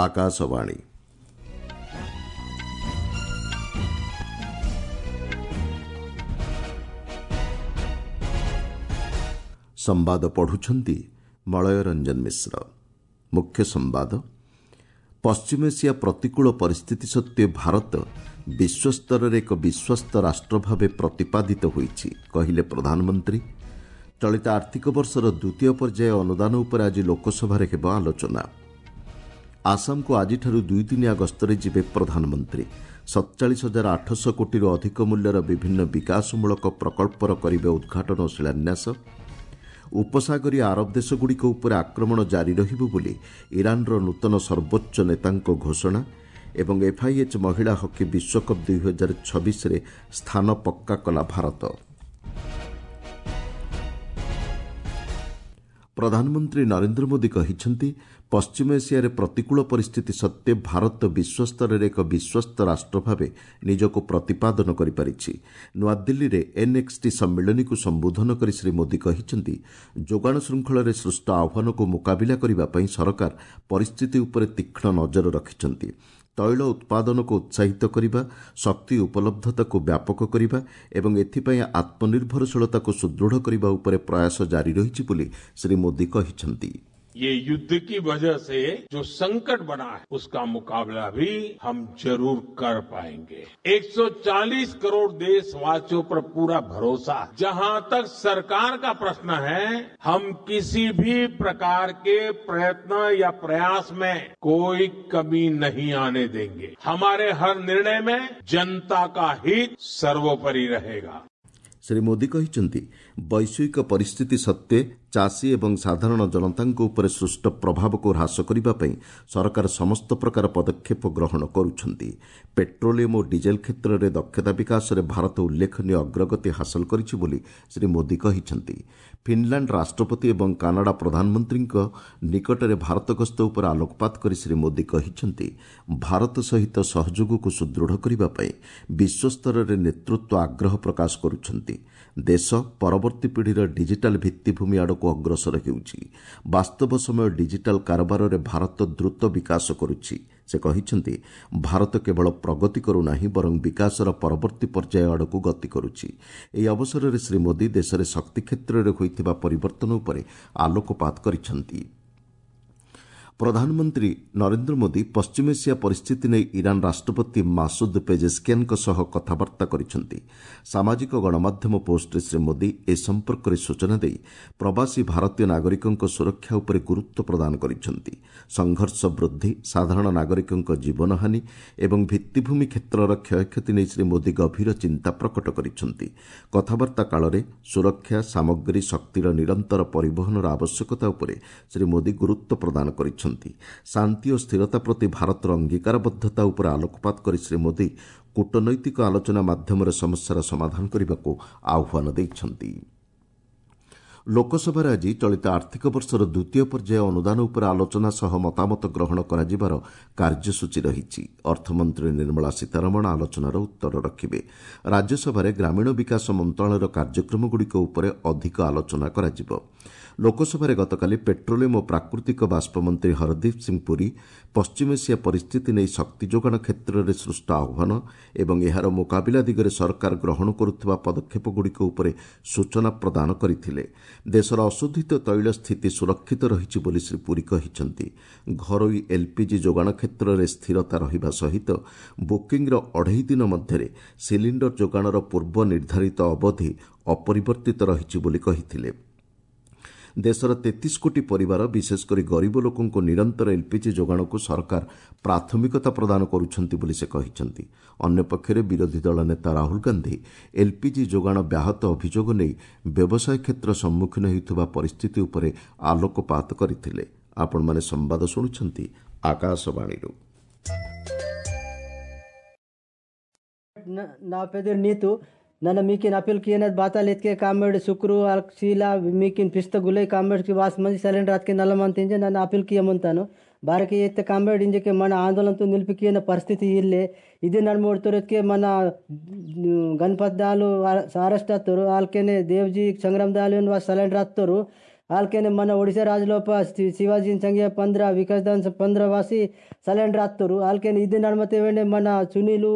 ଆକାଶବାଣୀ। ସମ୍ବାଦ ପଢୁଛନ୍ତି ମଳୟ ରଞ୍ଜନ ମିଶ୍ର। ମୁଖ୍ୟ ସମ୍ବାଦ। ପଶ୍ଚିମ ଏସିଆ ପ୍ରତିକୂଳ ପରିସ୍ଥିତି ସତ୍ତ୍ୱେ ଭାରତ ବିଶ୍ୱସ୍ତରରେ ଏକ ବିଶ୍ୱସ୍ତ ରାଷ୍ଟ୍ର ଭାବେ ପ୍ରତିପାଦିତ ହୋଇଛି, କହିଲେ ପ୍ରଧାନମନ୍ତ୍ରୀ। ଚଳିତ ଆର୍ଥିକ ବର୍ଷର ଦ୍ୱିତୀୟ ପର୍ଯ୍ୟାୟ ଅନୁଦାନ ଉପରେ ଆଜି ଲୋକସଭାରେ ହେବ ଆଲୋଚନା। ଆସାମକୁ ଆଜିଠାରୁ ଦୁଇଦିନିଆ ଗସ୍ତରେ ଯିବେ ପ୍ରଧାନମନ୍ତ୍ରୀ। 47,800 କୋଟିରୁ ଅଧିକ ମୂଲ୍ୟର ବିଭିନ୍ନ ବିକାଶମୂଳକ ପ୍ରକଳ୍ପର କରିବେ ଉଦ୍ଘାଟନ ଓ ଶିଳାନ୍ୟାସ। ଉପସାଗରୀୟ ଆରବ ଦେଶଗୁଡ଼ିକ ଉପରେ ଆକ୍ରମଣ ଜାରି ରହିବ ବୋଲି ଇରାନର ନୂତନ ସର୍ବୋଚ୍ଚ ନେତାଙ୍କ ଘୋଷଣା ଏବଂ ଏଫ୍ଆଇଏଚ୍ ମହିଳା ହକି ବିଶ୍ୱକପ୍ 2026ରେ ସ୍ଥାନ ପକ୍କା କଲା ଭାରତ। ପ୍ରଧାନମନ୍ତ୍ରୀ ନରେନ୍ଦ୍ର ମୋଦି କହିଛନ୍ତି, ପଶ୍ଚିମ ଏସିଆରେ ପ୍ରତିକୂଳ ପରିସ୍ଥିତି ସତ୍ତ୍ୱେ ଭାରତ ବିଶ୍ୱସ୍ତରରେ ଏକ ବିଶ୍ୱସ୍ତ ରାଷ୍ଟ୍ର ଭାବେ ନିଜକୁ ପ୍ରତିପାଦନ କରିପାରିଛି। ନୂଆଦିଲ୍ଲୀରେ ଏନ୍ଏକ୍ସଟି ସମ୍ମିଳନୀକୁ ସମ୍ବୋଧନ କରି ଶ୍ରୀ ମୋଦି କହିଛନ୍ତି, ଯୋଗାଣ ଶୃଙ୍ଖଳରେ ସୃଷ୍ଟ ଆହ୍ୱାନକୁ ମୁକାବିଲା କରିବା ପାଇଁ ସରକାର ପରିସ୍ଥିତି ଉପରେ ତୀକ୍ଷ୍ଣ ନଜର ରଖିଛନ୍ତି। ତୈଳ ଉତ୍ପାଦନକୁ ଉତ୍ସାହିତ କରିବା, ଶକ୍ତି ଉପଲବ୍ଧତାକୁ ବ୍ୟାପକ କରିବା ଏବଂ ଏଥିପାଇଁ ଆତ୍ମନିର୍ଭରଶୀଳତାକୁ ସୁଦୃଢ଼ କରିବା ଉପରେ ପ୍ରୟାସ ଜାରି ରହିଛି ବୋଲି ଶ୍ରୀ ମୋଦି କହିଛନ୍ତି। ये युद्ध की वजह से जो संकट बना है, उसका मुकाबला भी हम जरूर कर पाएंगे। 140 करोड़ देशवासियों पर पूरा भरोसा है। जहां तक सरकार का प्रश्न है, हम किसी भी प्रकार के प्रयत्न या प्रयास में कोई कमी नहीं आने देंगे। हमारे हर निर्णय में जनता का हित सर्वोपरि रहेगा। ଶ୍ରୀ ମୋଦି କହିଛନ୍ତି, ବୈଶ୍ୱିକ ପରିସ୍ଥିତି ସତ୍ତ୍ୱେ ଚାଷୀ ଏବଂ ସାଧାରଣ ଜନତାଙ୍କ ଉପରେ ସୃଷ୍ଟ ପ୍ରଭାବକୁ ହ୍ରାସ କରିବା ପାଇଁ ସରକାର ସମସ୍ତ ପ୍ରକାର ପଦକ୍ଷେପ ଗ୍ରହଣ କରୁଛନ୍ତି। ପେଟ୍ରୋଲିୟମ୍ ଓ ଡିଜେଲ୍ କ୍ଷେତ୍ରରେ ଦକ୍ଷତା ବିକାଶରେ ଭାରତ ଉଲ୍ଲେଖନୀୟ ଅଗ୍ରଗତି ହାସଲ କରିଛି ବୋଲି ଶ୍ରୀ ମୋଦି କହିଛନ୍ତି। ଫିନ୍ଲାଣ୍ଡ ରାଷ୍ଟ୍ରପତି ଏବଂ କାନାଡା ପ୍ରଧାନମନ୍ତ୍ରୀଙ୍କ ନିକଟରେ ଭାରତ ଗସ୍ତ ଉପରେ ଆଲୋକପାତ କରି ଶ୍ରୀ ମୋଦି କହିଛନ୍ତି, ଭାରତ ସହିତ ସହଯୋଗକୁ ସୁଦୃଢ଼ କରିବା ପାଇଁ ବିଶ୍ୱସ୍ତରରେ ନେତୃତ୍ୱ ଆଗ୍ରହ ପ୍ରକାଶ କରୁଛନ୍ତି। ଦେଶ ପରବର୍ତ୍ତୀ ପିଢ଼ିର ଡିଜିଟାଲ୍ ଭିତ୍ତିଭୂମି ଆଡ଼କୁ ଅଗ୍ରସର ହେଉଛି। ବାସ୍ତବ ସମୟ ଡିଜିଟାଲ୍ କାରବାରରେ ଭାରତ ଦ୍ରୁତ ବିକାଶ କରୁଛି। ସେ କହିଛନ୍ତି, ଭାରତ କେବଳ ପ୍ରଗତି କରୁନାହିଁ, ବରଂ ବିକାଶର ପରବର୍ତ୍ତୀ ପର୍ଯ୍ୟାୟ ଆଡ଼କୁ ଗତି କରୁଛି। ଏହି ଅବସରରେ ଶ୍ରୀ ମୋଦି ଦେଶରେ ଶକ୍ତି କ୍ଷେତ୍ରରେ ହୋଇଥିବା ପରିବର୍ତ୍ତନ ଉପରେ ଆଲୋକପାତ କରିଛନ୍ତି। ପ୍ରଧାନମନ୍ତ୍ରୀ ନରେନ୍ଦ୍ର ମୋଦି ପଶ୍ଚିମ ଏସିଆ ପରିସ୍ଥିତି ନେଇ ଇରାନ୍ ରାଷ୍ଟ୍ରପତି ମାସୁଦ ପେଜେସ୍କିଆନ୍ଙ୍କ ସହ କଥାବାର୍ତ୍ତା କରିଛନ୍ତି। ସାମାଜିକ ଗଣମାଧ୍ୟମ ପୋଷ୍ଟରେ ଶ୍ରୀ ମୋଦି ଏ ସମ୍ପର୍କରେ ସୂଚନା ଦେଇ ପ୍ରବାସୀ ଭାରତୀୟ ନାଗରିକଙ୍କ ସୁରକ୍ଷା ଉପରେ ଗୁରୁତ୍ୱ ପ୍ରଦାନ କରିଛନ୍ତି। ସଂଘର୍ଷ ବୃଦ୍ଧି, ସାଧାରଣ ନାଗରିକଙ୍କ ଜୀବନହାନି ଏବଂ ଭିତ୍ତିଭୂମି କ୍ଷେତ୍ରର କ୍ଷୟକ୍ଷତି ନେଇ ଶ୍ରୀ ମୋଦି ଗଭୀର ଚିନ୍ତା ପ୍ରକଟ କରିଛନ୍ତି। କଥାବାର୍ତ୍ତା କାଳରେ ସୁରକ୍ଷା, ସାମଗ୍ରୀ, ଶକ୍ତିର ନିରନ୍ତର ପରିବହନର ଆବଶ୍ୟକତା ଉପରେ ଶ୍ରୀ ମୋଦି ଗୁରୁତ୍ୱ ପ୍ରଦାନ କରିଛନ୍ତି। ଶାନ୍ତି ଓ ସ୍ଥିରତା ପ୍ରତି ଭାରତର ଅଙ୍ଗୀକାରବଦ୍ଧତା ଉପରେ ଆଲୋକପାତ କରି ଶ୍ରୀ ମୋଦି କୂଟନୈତିକ ଆଲୋଚନା ମାଧ୍ୟମରେ ସମସ୍ୟାର ସମାଧାନ କରିବାକୁ ଆହ୍ୱାନ ଦେଇଛନ୍ତି। ଲୋକସଭାରେ ଆଜି ଚଳିତ ଆର୍ଥିକ ବର୍ଷର ଦ୍ୱିତୀୟ ପର୍ଯ୍ୟାୟ ଅନୁଦାନ ଉପରେ ଆଲୋଚନା ସହ ମତାମତ ଗ୍ରହଣ କରାଯିବାର କାର୍ଯ୍ୟସୂଚୀ ରହିଛି। ଅର୍ଥମନ୍ତ୍ରୀ ନିର୍ମଳା ସୀତାରମଣ ଆଲୋଚନାର ଉତ୍ତର ରଖିବେ। ରାଜ୍ୟସଭାରେ ଗ୍ରାମୀଣ ବିକାଶ ମନ୍ତ୍ରଣାଳୟର କାର୍ଯ୍ୟକ୍ରମଗୁଡ଼ିକ ଉପରେ ଅଧିକ ଆଲୋଚନା କରାଯିବ। ଲୋକସଭାରେ ଗତକାଲି ପେଟ୍ରୋଲିୟମ୍ ଓ ପ୍ରାକୃତିକ ବାଷ୍ପ ମନ୍ତ୍ରୀ ହରଦୀପ ସିଂ ପୁରୀ ପଶ୍ଚିମ ଏସିଆ ପରିସ୍ଥିତି ନେଇ ଶକ୍ତି ଯୋଗାଣ କ୍ଷେତ୍ରରେ ସୃଷ୍ଟ ଆହ୍ୱାନ ଏବଂ ଏହାର ମୁକାବିଲା ଦିଗରେ ସରକାର ଗ୍ରହଣ କରୁଥିବା ପଦକ୍ଷେପଗୁଡ଼ିକ ଉପରେ ସୂଚନା ପ୍ରଦାନ କରିଥିଲେ। ଦେଶର ଅଶୋଧିତ ତୈଳ ସ୍ଥିତି ସୁରକ୍ଷିତ ରହିଛି ବୋଲି ଶ୍ରୀ ପୁରୀ କହିଛନ୍ତି। ଘରୋଇ ଏଲ୍ପିଜି ଯୋଗାଣ କ୍ଷେତ୍ରରେ ସ୍ଥିରତା ରହିବା ସହିତ ବୁକିଂର ଅଢ଼େଇ ଦିନ ମଧ୍ୟରେ ସିଲିଣ୍ଡର ଯୋଗାଣର ପୂର୍ବ ନିର୍ଦ୍ଧାରିତ ଅବଧି ଅପରିବର୍ତ୍ତିତ ରହିଛି ବୋଲି କହିଥିଲେ। ଦେଶର 33 କୋଟି ପରିବାର, ବିଶେଷକରି ଗରିବ ଲୋକଙ୍କୁ ନିରନ୍ତର ଏଲ୍ପିଜି ଯୋଗାଣକୁ ସରକାର ପ୍ରାଥମିକତା ପ୍ରଦାନ କରୁଛନ୍ତି ବୋଲି ସେ କହିଛନ୍ତି। ଅନ୍ୟପକ୍ଷରେ ବିରୋଧୀ ଦଳ ନେତା ରାହୁଲ ଗାନ୍ଧି ଏଲ୍ପିଜି ଯୋଗାଣ ବ୍ୟାହତ ଅଭିଯୋଗ ନେଇ ବ୍ୟବସାୟ କ୍ଷେତ୍ର ସମ୍ମୁଖୀନ ହେଉଥିବା ପରିସ୍ଥିତି ଉପରେ ଆଲୋକପାତ କରିଥିଲେ। ଆପଣମାନେ ସମ୍ବାଦ ଶୁଣୁଛନ୍ତି ଆକାଶବାଣୀରୁ। నీతు నన్ను మీకిన్ అప్పీల్ किए बाता लेत कामेड शुक्र शीला मीकिन पिस्त गुले कामेड की वास मंది सिलेंडर अतके नलमंत నన్ను అప్పీల్ కియమంతాను ಬಾರಕಿ ಎತ್ತ ಕಾಮ್ರೇಡ್ ಇಂಜಕ್ಕೆ మన ఆందోళనతో నిలిపికిన పరిస్థితి ఇల్లే. ఇది నడుమోడుతోరత్కే మన గణపతి దాలు అరెస్ట్ అత్తారు, వాళ్ళకేనే దేవ్జీ సంగ్రామ్ దాలు సిలిండర్ అత్తారు. ಆಲ್ಕೆನೆ మన ఒడిశా రాజులోప శివాజీ సంఖ్య 15 వికాస్ 15 వాసి సలెండర్ ఆత్తరు. ఆల్కెనే ఇది నడమతే వెండే మన సునీలు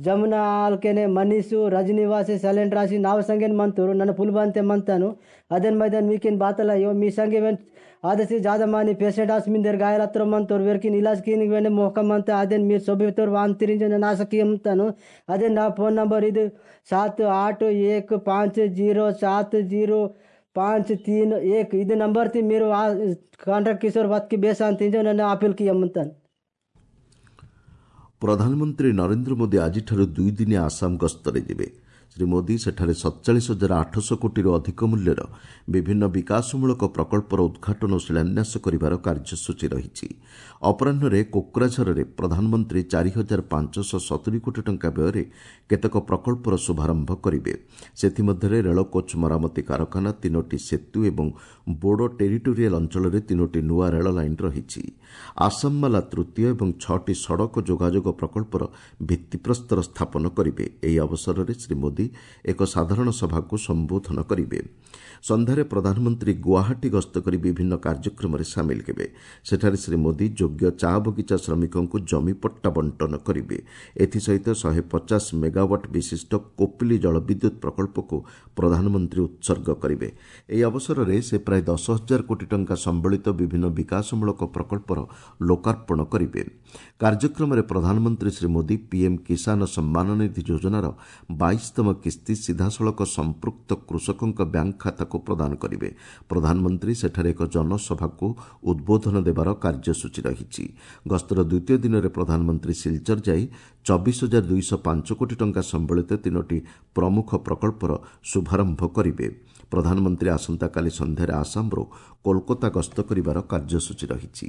జమున ఆల్కెనే మనీషు రజనీవాసి సైలెంట్ రాసి నావ సంఖ్యను మంతరు నన్ను పుల్బంతే మంతాను. అదేన్ మైదాన్ మీకేన్ బాతలయ్యో మీ సంఖ్య आदे ज्यादा मानी पेशेंट आस मिंदर घायल हत्र मंतोर वेरकिन इलाज की वेंडे मोहकम अंत अदेन मीर सोबितोर वांतिरिंज नासकी अंतानु. अదే నా ఫోన్ నంబర్ ఇది 7 8 1 5 0 7 0 5 3 1 ఇది నంబర్ తి మీరు కాంట్రాక్ట్ కిషోర్ బతికి బేస్ అంతించు నన్ను ఆపిల్కి అమ్ముతాను. ପ୍ରଧାନମନ୍ତ୍ରୀ ନରେନ୍ଦ୍ର ମୋଦି ଆଜିଠାରୁ ଦୁଇଦିନିଆ ଆସାମ ଗସ୍ତରେ ଯିବେ। ଶ୍ରୀ ମୋଦି ସେଠାରେ 47,800 କୋଟିରୁ ଅଧିକ ମୂଲ୍ୟର ବିଭିନ୍ନ ବିକାଶମୂଳକ ପ୍ରକଳ୍ପର ଉଦ୍ଘାଟନ ଓ ଶିଳାନ୍ୟାସ କରିବାର କାର୍ଯ୍ୟସୂଚୀ ରହିଛି। ଅପରାହ୍ନରେ କୋକ୍ରାଝରରେ ପ୍ରଧାନମନ୍ତ୍ରୀ 4,570 କୋଟି ଟଙ୍କା ବ୍ୟୟରେ କେତେକ ପ୍ରକଳ୍ପର ଶୁଭାରମ୍ଭ କରିବେ। ସେଥିମଧ୍ୟରେ ରେଳ କୋଚ୍ ମରାମତି କାରଖାନା, 3ଟି ସେତୁ ଏବଂ ବୋଡୋ ଟେରିଟୋରିଆଲ ଅଞ୍ଚଳରେ 3ଟି ନୂଆ ରେଳ ଲାଇନ୍ ରହିଛି। ଆସାମମାଲା ତୃତୀୟ ଏବଂ 6ଟି ସଡ଼କ ଯୋଗାଯୋଗ ପ୍ରକଳ୍ପର ଭିତ୍ତିପ୍ରସ୍ତର ସ୍ଥାପନ କରିବେ। ଏହି ଅବସରରେ ଶ୍ରୀ ମୋଦି ଏକ ସାଧାରଣ ସଭାକୁ ସମ୍ବୋଧନ କରିବେ। ସନ୍ଧ୍ୟାରେ ପ୍ରଧାନମନ୍ତ୍ରୀ ଗୁଆହାଟୀ ଗସ୍ତ କରି ବିଭିନ୍ନ କାର୍ଯ୍ୟକ୍ରମରେ ସାମିଲ ହେବେ। ସେଠାରେ ଶ୍ରୀ ମୋଦି ଯୋଗ୍ୟ ଚା ବଗିଚା ଶ୍ରମିକଙ୍କୁ ଜମିପଟ୍ଟା ବଣ୍ଟନ କରିବେ। ଏଥିସହିତ 150 ମେଗାୱାଟ୍ ବିଶିଷ୍ଟ କୋପିଲି ଜଳବିଦ୍ୟୁତ୍ ପ୍ରକଳ୍ପକୁ ପ୍ରଧାନମନ୍ତ୍ରୀ ଉତ୍ସର୍ଗ କରିବେ। ଏହି ଅବସରରେ ସେ ପ୍ରାୟ 10,000 କୋଟି ଟଙ୍କା ସମ୍ବଳିତ ବିଭିନ୍ନ ବିକାଶମୂଳକ ପ୍ରକଳ୍ପର ଲୋକାର୍ପଣ କରିବେ। କାର୍ଯ୍ୟକ୍ରମରେ ପ୍ରଧାନମନ୍ତ୍ରୀ ଶ୍ରୀ ମୋଦି ପିଏମ୍ କିଷାନ ସମ୍ମାନ ନିଧି ଯୋଜନାର 22ତମ କିସ୍ତି ସିଧାସଳଖ ସମ୍ପୃକ୍ତ କୃଷକଙ୍କ ବ୍ୟାଙ୍କ ଖାତାକୁ ପ୍ରଦାନ କରିବେ। ପ୍ରଧାନମନ୍ତ୍ରୀ ସେଠାରେ ଏକ ଜନସଭାକୁ ଉଦ୍ବୋଧନ ଦେବାର କାର୍ଯ୍ୟସୂଚୀ ରହିଛି। ଗସ୍ତର ଦ୍ୱିତୀୟ ଦିନରେ ପ୍ରଧାନମନ୍ତ୍ରୀ ସିଲଚର ଯାଇ 24,205 କୋଟି ଟଙ୍କା ସମ୍ବଳିତ 3ଟି ପ୍ରମୁଖ ପ୍ରକଳ୍ପର ଶୁଭାରମ୍ଭ କରିବେ। ପ୍ରଧାନମନ୍ତ୍ରୀ ଆସନ୍ତାକାଲି ସନ୍ଧ୍ୟାରେ ଆସାମରୁ କୋଲକାତା ଗସ୍ତ କରିବାର କାର୍ଯ୍ୟସୂଚୀ ରହିଛି।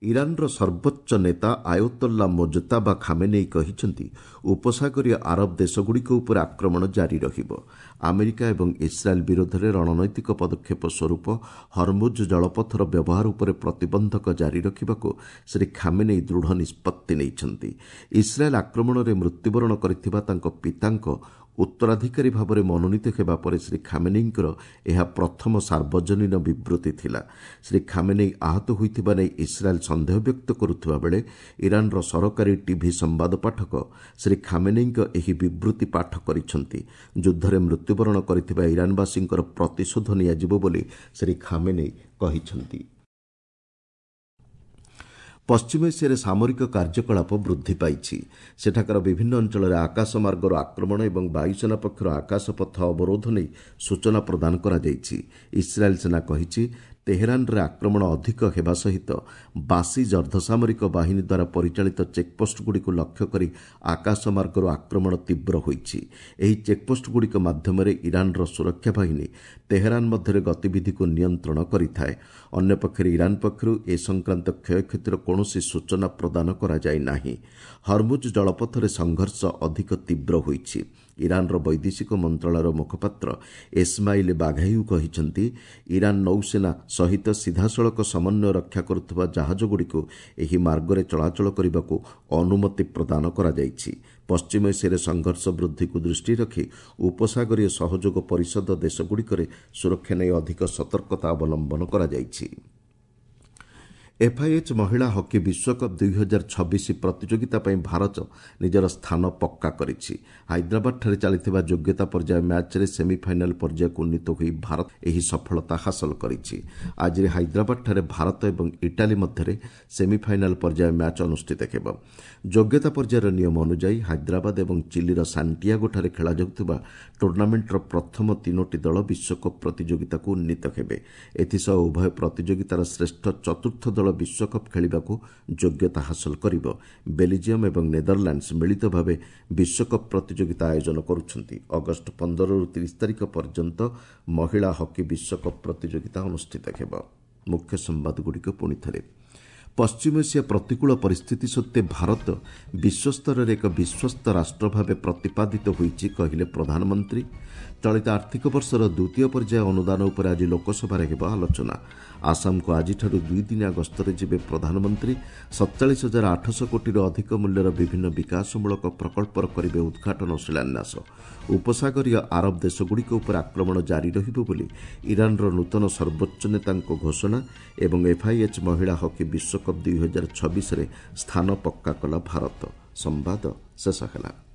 ଇରାନର ସର୍ବୋଚ୍ଚ ନେତା ଆୟତୋଲ୍ଲା ମୋଜତାବା ଖାମେନେଇ କହିଛନ୍ତି, ଉପସାଗରୀୟ ଆରବ ଦେଶଗୁଡ଼ିକ ଉପରେ ଆକ୍ରମଣ ଜାରି ରହିବ। ଆମେରିକା ଏବଂ ଇସ୍ରାଏଲ୍ ବିରୋଧରେ ରଣନୈତିକ ପଦକ୍ଷେପ ସ୍ୱରୂପ ହରମୁଜ ଜଳପଥର ବ୍ୟବହାର ଉପରେ ପ୍ରତିବନ୍ଧକ ଜାରି ରଖିବାକୁ ଶ୍ରୀ ଖାମେନେଇ ଦୃଢ଼ ନିଷ୍ପତ୍ତି ନେଇଛନ୍ତି। ଇସ୍ରାଏଲ୍ ଆକ୍ରମଣରେ ମୃତ୍ୟୁବରଣ କରିଥିବା ତାଙ୍କ ପିତାଙ୍କ ଉତ୍ତରାଧିକାରୀ ଭାବରେ ମନୋନୀତ ହେବା ପରେ ଶ୍ରୀ ଖାମେନେଇଙ୍କର ଏହା ପ୍ରଥମ ସାର୍ବଜନୀନ ବିବୃତ୍ତି ଥିଲା। ଶ୍ରୀ ଖାମେନେଇ ଆହତ ହୋଇଥିବା ନେଇ ଇସ୍ରାଏଲ୍ ସନ୍ଦେହ ବ୍ୟକ୍ତ କରୁଥିବା ବେଳେ ଇରାନର ସରକାରୀ ଟିଭି ସମ୍ବାଦ ପାଠକ ଶ୍ରୀ ଖାମେନେଇଙ୍କ ଏହି ବିବୃତ୍ତି ପାଠ କରିଛନ୍ତି। ଯୁଦ୍ଧରେ ମୃତ୍ୟୁବରଣ କରିଥିବା ଇରାନବାସୀଙ୍କର ପ୍ରତିଶୋଧ ନିଆଯିବ ବୋଲି ଶ୍ରୀ ଖାମେନେଇ କହିଛନ୍ତି। ପଶ୍ଚିମ ଏସିଆରେ ସାମରିକ କାର୍ଯ୍ୟକଳାପ ବୃଦ୍ଧି ପାଇଛି। ସେଠାକାର ବିଭିନ୍ନ ଅଞ୍ଚଳରେ ଆକାଶମାର୍ଗରୁ ଆକ୍ରମଣ ଏବଂ ବାୟୁସେନା ପକ୍ଷରୁ ଆକାଶପଥ ଅବରୋଧ ନେଇ ସୂଚନା ପ୍ରଦାନ କରାଯାଇଛି। ଇସ୍ରାଏଲ୍ ସେନା କହିଛି, ତେହେରାନରେ ଆକ୍ରମଣ ଅଧିକ ହେବା ସହିତ ବାସିଜ୍ ଅର୍ଦ୍ଧସାମରିକ ବାହିନୀ ଦ୍ୱାରା ପରିଚାଳିତ ଚେକ୍ପୋଷ୍ଟଗୁଡ଼ିକୁ ଲକ୍ଷ୍ୟ କରି ଆକାଶମାର୍ଗରୁ ଆକ୍ରମଣ ତୀବ୍ର ହୋଇଛି। ଏହି ଚେକ୍ପୋଷ୍ଟଗୁଡ଼ିକ ମାଧ୍ୟମରେ ଇରାନର ସୁରକ୍ଷା ବାହିନୀ ତେହେରାନ ମଧ୍ୟରେ ଗତିବିଧିକୁ ନିୟନ୍ତ୍ରଣ କରିଥାଏ। ଅନ୍ୟପକ୍ଷରେ ଇରାନ ପକ୍ଷରୁ ଏ ସଂକ୍ରାନ୍ତ କ୍ଷୟକ୍ଷତିର କୌଣସି ସୂଚନା ପ୍ରଦାନ କରାଯାଇ ନାହିଁ। ହରମୁଜ ଜଳପଥରେ ସଂଘର୍ଷ ଅଧିକ ତୀବ୍ର ହୋଇଛି। ଇରାନର ବୈଦେଶିକ ମନ୍ତ୍ରଣାଳୟର ମୁଖପାତ୍ର ଏସ୍ମାଇଲ୍ ବାଘାୟୁ କହିଛନ୍ତି, ଇରାନ ନୌସେନା ସହିତ ସିଧାସଳଖ ସମନ୍ୱୟ ରକ୍ଷା କରୁଥିବା ଜାହାଜଗୁଡ଼ିକୁ ଏହି ମାର୍ଗରେ ଚଳାଚଳ କରିବାକୁ ଅନୁମତି ପ୍ରଦାନ କରାଯାଇଛି। ପଶ୍ଚିମ ଏସିଆରେ ସଂଘର୍ଷ ବୃଦ୍ଧିକୁ ଦୃଷ୍ଟିରେ ରଖି ଉପସାଗରୀୟ ସହଯୋଗ ପରିଷଦ ଦେଶଗୁଡ଼ିକରେ ସୁରକ୍ଷା ନେଇ ଅଧିକ ସତର୍କତା ଅବଲମ୍ବନ କରାଯାଇଛି। ଏଫ୍ଆଇଏଚ୍ ମହିଳା ହକି ବିଶ୍ୱକପ୍ 2026 ପ୍ରତିଯୋଗିତା ପାଇଁ ଭାରତ ନିଜର ସ୍ଥାନ ପକ୍କା କରିଛି। ହାଇଦ୍ରାବାଦଠାରେ ଚାଲିଥିବା ଯୋଗ୍ୟତା ପର୍ଯ୍ୟାୟ ମ୍ୟାଚ୍ରେ ସେମିଫାଇନାଲ୍ ପର୍ଯ୍ୟାୟକୁ ଉନ୍ନୀତ ହୋଇ ଭାରତ ଏହି ସଫଳତା ହାସଲ କରିଛି। ଆଜି ହାଇଦ୍ରାବାଦଠାରେ ଭାରତ ଏବଂ ଇଟାଲୀ ମଧ୍ୟରେ ସେମିଫାଇନାଲ୍ ପର୍ଯ୍ୟାୟ ମ୍ୟାଚ୍ ଅନୁଷ୍ଠିତ ହେବ। ଯୋଗ୍ୟତା ପର୍ଯ୍ୟାୟର ନିୟମ ଅନୁଯାୟୀ ହାଇଦ୍ରାବାଦ ଏବଂ ଚିଲିର ସାଣ୍ଟିଆଗୋଠାରେ ଖେଳାଯାଉଥିବା ଟୁର୍ଣ୍ଣାମେଣ୍ଟର ପ୍ରଥମ 3ଟି ଦଳ ବିଶ୍ୱକପ୍ ପ୍ରତିଯୋଗିତାକୁ ଉନ୍ନୀତ ହେବେ। ଏଥିସହ ଉଭୟ ପ୍ରତିଯୋଗିତାର ଶ୍ରେଷ୍ଠ ଚତୁର୍ଥ ଦଳ ବିଶ୍ୱକପ୍ ଖେଳିବାକୁ ଯୋଗ୍ୟତା ହାସଲ କରିବ। ବେଲିଜିୟମ୍ ଏବଂ ନେଦରଲ୍ୟାଣ୍ଡସ୍ ମିଳିତ ଭାବେ ବିଶ୍ୱକପ୍ ପ୍ରତିଯୋଗିତା ଆୟୋଜନ କରୁଛନ୍ତି। ଅଗଷ୍ଟ 15ରୁ 30 ତାରିଖ ପର୍ଯ୍ୟନ୍ତ ମହିଳା ହକି ବିଶ୍ୱକପ୍ ପ୍ରତିଯୋଗିତା ଅନୁଷ୍ଠିତ ହେବ। ମୁଖ୍ୟ ସମ୍ବାଦଗୁଡ଼ିକ ପୁଣିଥରେ। ପଶ୍ଚିମ ଏସିଆ ପ୍ରତିକୂଳ ପରିସ୍ଥିତି ସତ୍ତ୍ୱେ ଭାରତ ବିଶ୍ୱସ୍ତରରେ ଏକ ବିଶ୍ୱସ୍ତ ରାଷ୍ଟ୍ର ଭାବେ ପ୍ରତିପାଦିତ ହୋଇଛି, କହିଲେ ପ୍ରଧାନମନ୍ତ୍ରୀ। ଚଳିତ ଆର୍ଥିକ ବର୍ଷର ଦ୍ୱିତୀୟ ପର୍ଯ୍ୟାୟ ଅନୁଦାନ ଉପରେ ଆଜି ଲୋକସଭାରେ ହେବ ଆଲୋଚନା। ଆସାମକୁ ଆଜିଠାରୁ 2 ଦିନିଆ ଗସ୍ତରେ ଯିବେ ପ୍ରଧାନମନ୍ତ୍ରୀ। 47,800 କୋଟିରୁ ଅଧିକ ମୂଲ୍ୟର ବିଭିନ୍ନ ବିକାଶମୂଳକ ପ୍ରକଳ୍ପର କରିବେ ଉଦ୍ଘାଟନ ଓ ଶିଳାନ୍ୟାସ। ଉପସାଗରୀୟ ଆରବ ଦେଶଗୁଡ଼ିକ ଉପରେ ଆକ୍ରମଣ ଜାରି ରହିବ ବୋଲି ଇରାନର ନୂତନ ସର୍ବୋଚ୍ଚ ନେତାଙ୍କ ଘୋଷଣା ଏବଂ ଏଫ୍ଆଇଏଚ୍ ମହିଳା ହକି ବିଶ୍ୱକପ୍ 2026ରେ ସ୍ଥାନ ପକ୍କା କଲା ଭାରତ। ସମ୍ବାଦ ଶେଷ ହେଲା।